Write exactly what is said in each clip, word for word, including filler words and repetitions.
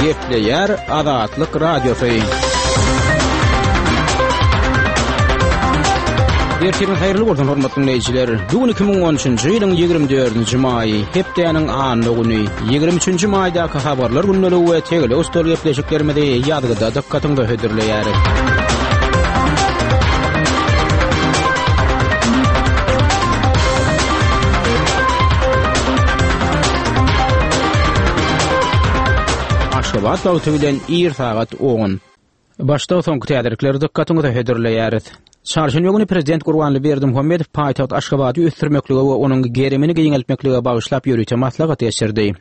Gepleýär Azatlyk Radiosy. Ertiriň haýyrly bolsun hormatly dinleýjiler. Bu gün iki müň on üçünji ýylyň ýigrimi dördünji maýy, hepdäniň anna güni, ýigrimi üçünji maýdaky habarlar gündeligi we tegelek stol gepleşiklerimizi ýazgyda dykgatyňyza hödürleýäris. Aşgabat wagty bilen ir sagat on. Başda soňky täzelikleri dykgatyňyza hödürleýäris. Çarşenbe güni Prezident Gurbanguly Berdimuhamedow paýtagt Aşgabady ösdürmeklige we onuň gerimini giňeltmeklige bagyşlap ýörite maslahat geçirdi.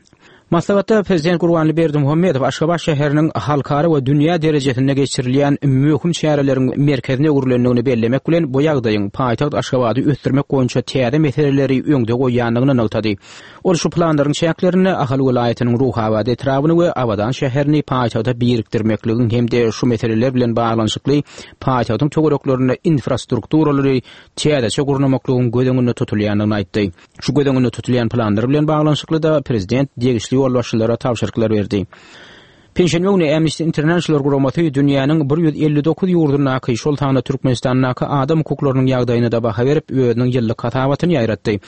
Maslahatda Prezident Gurbanguly Berdimuhamedow Aşgabat şäheriniň halkara we dünýä derejesinde geçirilýän möhüm çäreleriň merkezine öwrülendigini bellemek bilen, bu ýagdaýyň paýtagt Aşgabady ösdürmek boýunça täze meseleleri öňde goýýandygyny nygtady. Ol şu planlaryň çäklerinde Ahal welaýatynyň Ruhabat etrabyny we Abadan şäherini paýtagta birikdirmekligiň hem-de şu meseleler bilen baglanyşykly paýtagtyň töwereklerinde infrastrukturalary täzeçe gurnamaklygyň göz öňünde tutulýandygyny aýtdy. Şu göz öňünde tutulýan planlar bilen baglanyşykly-da prezident degişli ýolbaşçylara tabşyryklar berdi. Penşenbe güni Amnesty International guramasy dünýäniň bir ýüz elli dokuz ýurdundaky, şol sanda Türkmenistandaky adam hukuklarynyň ýagdaýyna-da baha berip, özüniň ýyllyk hasabatyny ýaýratdy.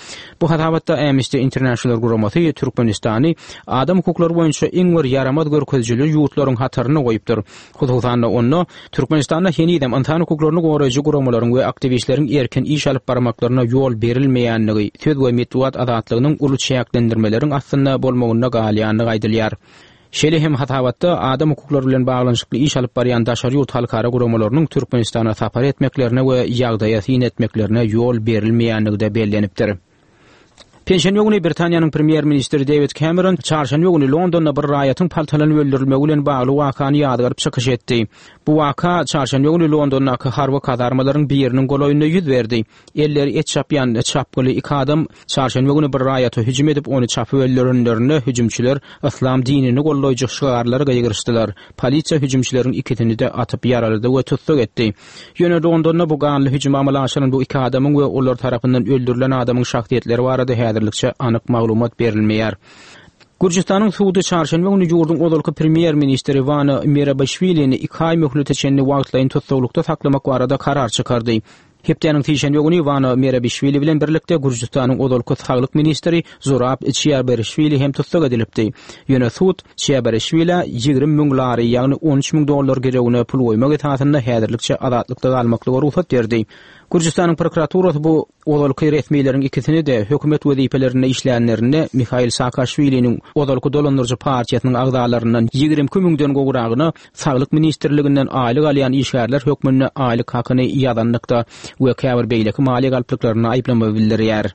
Bu hasabatda Amnesty International guramasy Türkmenistany adam hukuklary boýunça iň bir ýaramaz görkezijili ýurtlaryň hatarynda goýupdyr. Hususan-da, onda Türkmenistanda henizem ynsan hukuklaryny goraýjy guramalaryň we aktiwistleriň erkin iş alyp barmaklaryna ýol berilmeýändigi, söz we metbugat azatlygynyň uly çäklendirmeleriň astynda bolmagynda galýandygy aýdylýar. Şeýle hem hasabatda adam hukuklary bilen baglanyşykly iş alyp barýan daşary ýurt halkara guramalarynyň Türkmenistana sapar etmeklerine we ýagdaýa syn etmeklerine ýol berilmeýändigi-de bellenipdir. Penşenbe güni Britaniýanyň premýer-ministri Dewid Kemeron çarşenbe güni Londonda bir raýatyň paltalanyp öldürilmegi bilen bagly wakany ýazgaryp çykyş etdi. Bu waka çarşenbe güni Londondaky harby kazarmalaryň biriniň golaýynda ýüz berdi. Elleri et çapýan çapgyly iki adam çarşenbe güni bir raýata hüjüm edip, ony çapyp öldürenlerinde hüjümçiler yslam dinini goldaýjy şygarlary gygyryşdylar. Polisiýa hüjümçileriň ikisini-de atyp ýaralady we tussag etdi. Ýöne Londonda bu ganly hüjümi amala aşyran bu iki adamyň we olar tarapyndan öldürilen adamyň şahsyýetleri barada häzirlikçe anyk maglumat berilmeýär. Gürjüstanyň sudy çarşenbe güni ýurduň ozalky premýer-ministri Wano Merabişwilini iki aý möhlete çenli wagtlaýyn tussaglykda saklamak barada karar çykardy. Hepdäniň sişenbe güni Wano Merabişwili bilen birlikde Gürjüstanyň ozalky saglyk ministri Zurab Çiaberişwili hem tussag edilipdi. Ýöne sud Çiaberişwilä ýigrimi müň lari, ýagny on üç müň dollar girewine pul goýmak esasynda häzirlikçe azatlykda galmaklyga rugsat berdi. Gürjüstanyň prokuraturasy bu ozalky resmileriň ikisini-de hökümet wezipelerinde işlänlerinde Mihail Saakaşwiliniň ozalky dolandyryjy partiýasynyň agzalaryndan ýigrimi iki müňden gowragyna Saglyk ministrliginden aýlyk alýan işgärler hökmünde aýlyk hakyny ýazanlykda we käbir beýleki maliýe galplyklarynda aýyplama bildirýär.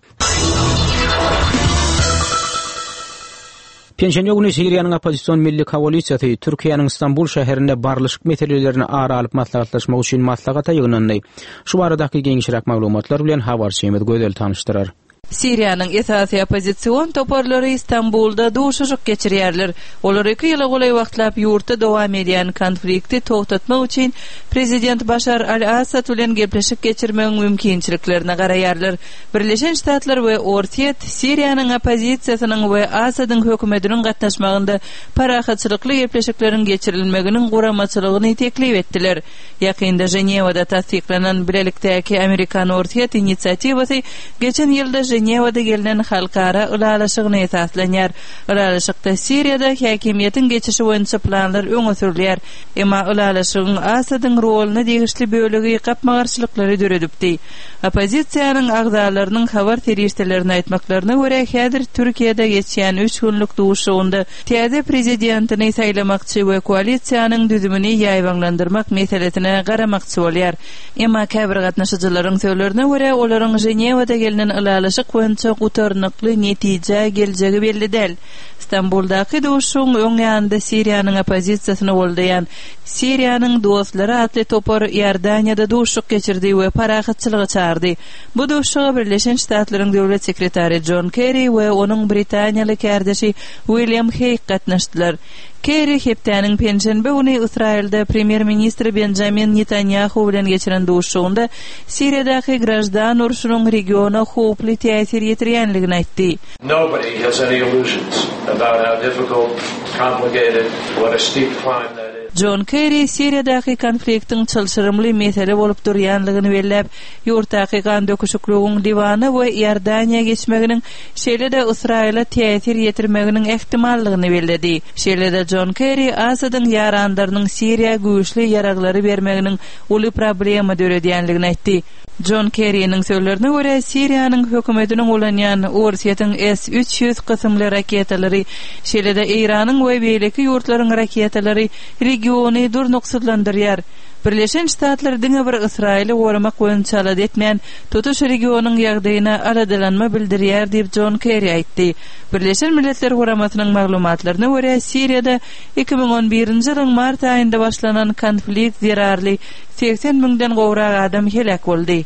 Penşenbe güni Siriýanyň oppozision milli koalisiýasy Türkiýäniň Stambul şäherinde barlyşyk meselelerini ara alyp maslahatlaşmak üçin maslahata ýygnandy. Şu baradaky giňişräk maglumatlar bilen habarçymyz Gözel tanyşdyrar. Siriýanyň esasy oppozision toparlary Stambulda duşuşyk geçirýärler. Olar iki ýyla golaý wagtlap ýurtda dowam edýän konflikti togtatmak üçin prezident Başar al-Assad bilen gepleşik geçirmegiň mümkinçiliklerine garaýarlar. Birleşen Ştatlar we Orsýet Siriýanyň oppozisiýasynyň we Assadyň hökümetiniň gatnaşmagynda parahatçylykly gepleşikleriň geçirilmeginiň guramaçylygyny teklip etdiler. Ýakynda Ženewada tassyklanan bilelikdäki amerikan-orsýet inisiatiwasy geçen ýylda Ženewada gelnen halkara ylalaşygyna esaslanýar. Ylalaşykda Siriýada häkimiýetiň geçişi boýunça planlar öňe sürülýär. Emma ylalaşygyň Asadyň roluna degişli bölegi gapma-garşylyklary döredipdi. Oppozisiýanyň agzalarynyň habar serişdelerine aýtmaklaryna görä, häzir Türkiýede geçýän üç günlük duşuşygynda täze prezidentini saýlamakçy we koalisiýanyň düzümini ýaýbaňlandyrmak meselesine garamakçy bolýar. Emma käbir gatnaşyjylaryň sözlerine görä, olaryň Ženewada gelnen ylalaşyk boýunça gutarnykly netijä geljegi belli däl. Stambuldaky duşuşygyň öň ýanynda Siriýanyň oppozisiýasyny goldaýan Siriýanyň dostlary atly topar Iordaniýada duşuşyk geçirdi we parahatçylyga çagyrdy. Bu duşuşyga Birleşen Ştatlaryň döwlet sekretary Jon Kerri we onuň britaniýaly kärdeşi William Heýg gatnaşdylar. Kerri hepdäniň penşenbe güni Ysraýylda premýer-ministr Benjamin Netanýahu bilen geçiren duşuşygynda Siriýadaky graždan urşunyň regiona howply täsir ýetirýänligini aýtdy. Nobody has any illusions about how difficult complicated, what a steep climb that is. Jon Kerry Siriýadaky konfliktiň çylşyrymly mesele bolup durýanlygyny belläp, ýurtdaky gandöküşikligiň Liwana we Iordaniýa geçmeginiň, şeýle-de Ysraýyla täsir ýetirmeginiň ähtimallygyny belledi. Şeýle-de Jon Kerry Asadyň ýaranlarynyň Siriýa güýçli ýaraglary bermeginiň uly problema döredýänligini aýtdy. Jon Kerry'niň sözlerine görä Siriýanyň hökümetiniň ulanýan Orsýetiň S üç ýüz kysymly raketalary, şeýle-de Eýranyň we beýleki ýurtlaryň raketalary regiony durnuksyzlandyrýar. Birleşen Ştatlar diňe bir Ysraýyly goramak boýunça alada etmän, tutuş regionyň ýagdaýyna aladalanma bildirýär diýip Jon Kerry aýtdy. Birleşen Milletler Guramasynyň maglumatlaryna görä Siriýada iki müň on birinji ýylyň mart aýynda başlanan konflikt zerarly seksen müňden gowrak adam heläk boldy.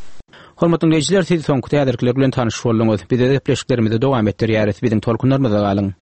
Hormatly dinleýjiler, siz soňky täzelikler bilen tanyş bolduňyz. Biz gepleşiklerimizi dowam etdirýäris. Biziň tolkunlarymyzda galyň.